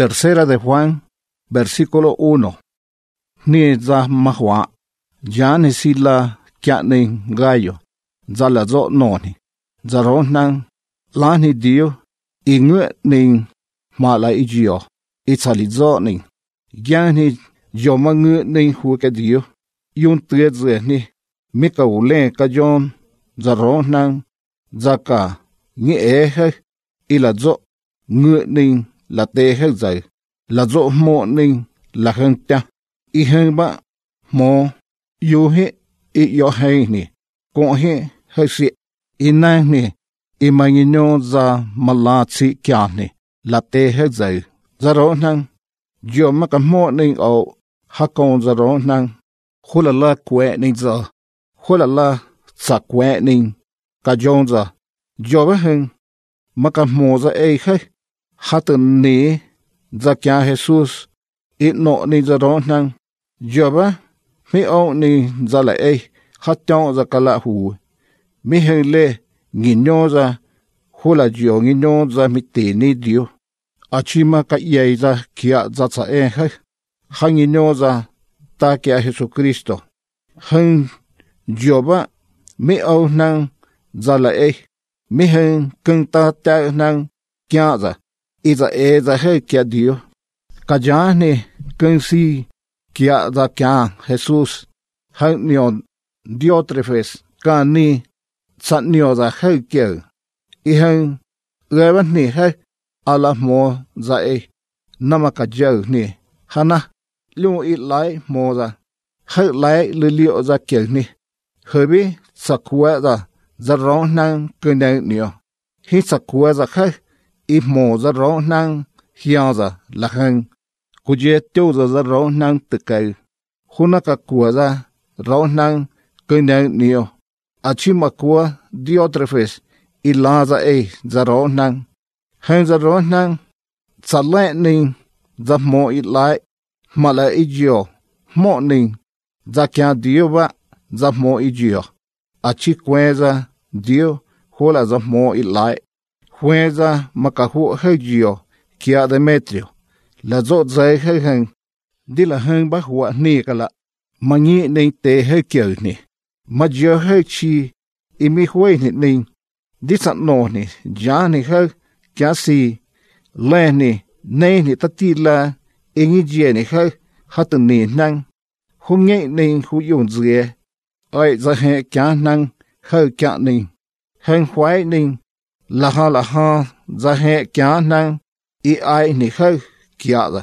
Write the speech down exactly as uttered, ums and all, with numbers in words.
Tercera de Juan, versículo uno. Ni za mahwa, ya ni sila kya ni gayo, za la zo noni, za ron nang la ni dio, i ngwe ni ma la i jio, i tsali zo ni, gya ni jo ma ngwe ni hu ke dio, yun tuye zwe ni, mi ka ule ka jon, za ron nang, za ka ngi e he, i la zo ngwe ni la te he zai, la zo mo ni la heng ta, i heng ba mo yu he i yo he ni, con he he si, i nang ni, i ma ngi nyo za ma la tsi kya ni, la te he zai, za ron nang, jo ma ka mo ni o ha con za ron nang, hula la kwe ni za, hula la sa kwe ni, ka jon za, jo ba heng, ma ka mo za e he, ha tu ni, za kya Jesus, i no ni za ron nang, jo ba, mi o ni za la e, ha tiong za ka la hu, mi heng le, ngi nyo za, hula jo ngi nyo za mi te ni dio, a chi ma ka ye za kia za tsa e he, ha ngi nyo za, ta kia Jesu Kristo, heng jo ba, mi o nang za la e, mi heng keng ta ta nang kia za, i za e za he kia dio, ka ja ni keng si kia za kia Jesus, heng nyo Diotrefes, ka ni sa nyo za he kia, i heng rewan ni he, ala mo za e, nama ka jau ni, hana, liu i lai mo za, he lai li liu za kia ni, hebi sa kuwa za, za rong nang kene nyo, hi sa kuwa za he, i mo za rong nang hiang za la heng, kuje tiêu za za rong nang te kai, huna ka kuwa za rong nang kene nyo, a chi ma kuwa Diotrefes, i la za e za rong nang, heng za rong nang, sa le ning, za mo i lai, ma la i jio, mo ning, za kia dio ba, za mo i jio, a chi kwe za dio, hula za mo i lai, kwe za maka hu he jio, kia Demetrio, la zo zai he heng, di la heng ba hua ni ka la, ma ngi ning te he kio ni, ma jio he chi, i mi hui ni ning, di sa no ni, ja ni he, kia si, le ni, ne ni ta ti la, i ngi jie ni he, hatu ni nang, hu ngi ning hu yung zie, ai za he kia nang, he kia ning, heng huai ning, la ha la ha, za he kia nang, i ai ni he, kia da.